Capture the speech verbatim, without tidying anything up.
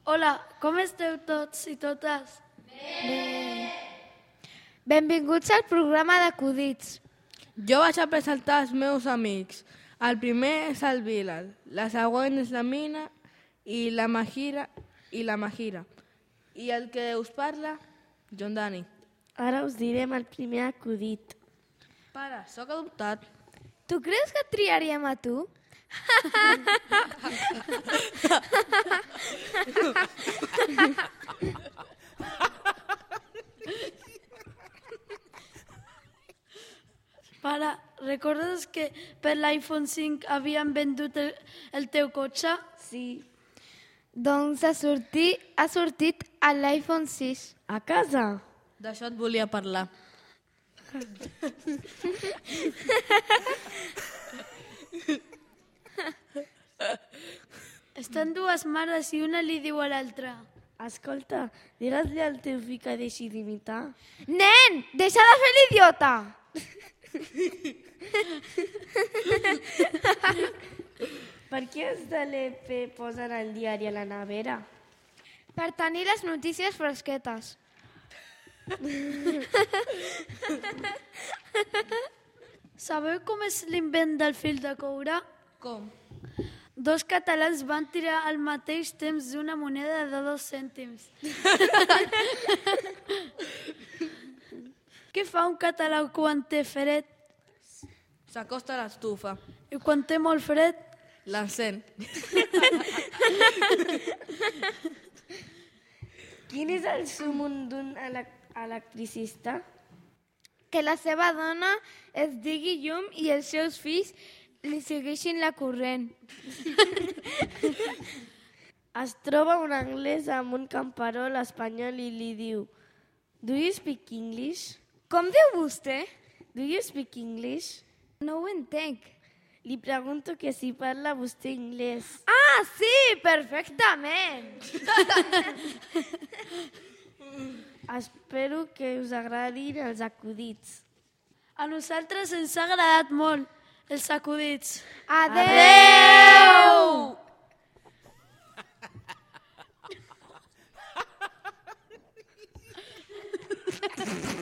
Hola, com esteu tots i totes? Bé. Benvinguts al programa d'acudits. Jo vaig a presentar els meus amics. El primer és el Bilal, la següent és la Mina i la Mahira i la Mahira. I el que us parla, John Dani. Ara us direm el primer acudit. Pare, sóc adoptat. Tu creus que et triaríem a tu? Pare, recordes que per l'iPhone cinc havien vendut el, el teu cotxe? Sí. Doncs ha sortit, ha sortit a l'iPhone sis. A casa? D'això et volia parlar. Estan dues mares i una li diu a l'altra. Escolta, diràs-li al teu fill que deixi d'imitar? Nen, deixa de fer l'idiota! Per què els de l'E P posen el diari a la nevera? Per tenir les notícies fresquetes. Sabeu com és l'invent del fil de coure? Com? Dos catalans van tirar al mateix temps d'una moneda de dos cèntims. Què fa un català quan té fred? S'acosta a l'estufa. I quan té molt fred? L'encén. Quin és el súmum d'un elec- electricista? Que la seva dona es digui llum i els seus fills li segueixin la corrent. Es troba un anglès amb un camperol espanyol i li diu: Do you speak English? Com diu vostè? Do you speak English? No ho entenc. Li pregunto que si parla vostè anglès. Ah, sí, perfectament. Espero que us agradin els acudits. A nosaltres ens ha agradat molt els acudits. Adeu! Adeu!